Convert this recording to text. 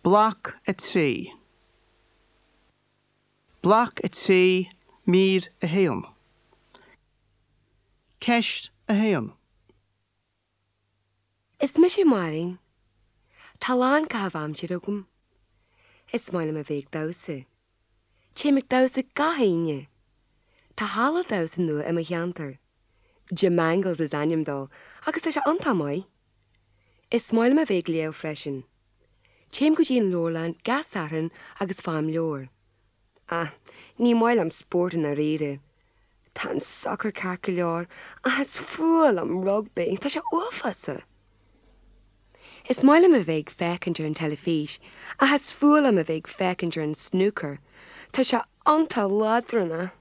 Bloc 3. Bloc 3, Mír 1. Ceist 1. Is mise Máirín. Tá a lán caitheamh aimsire agam. Is maith liom a bheith ag damhsa. Téim ag damhsa gach Aoine. Tá halla damhsa nua i mo cheantar. Jemangles is ainm dó agus tá sé iontach maith. Is maith liom a bheith ag léamh freisin. Téim go dtí an leabharlann gach Satharn agus faighim leabhar. Ah, ní maith liom spórt i ndáiríre. Tá an sacar ceart go leor ach is fuath liom rugbaí, tá sé uafásach! Is maith liom a bheith ag féachaint ar an teilifís ach is fuath liom a bheith ag féachaint ar an snúcar, tá sé iontach leadránach!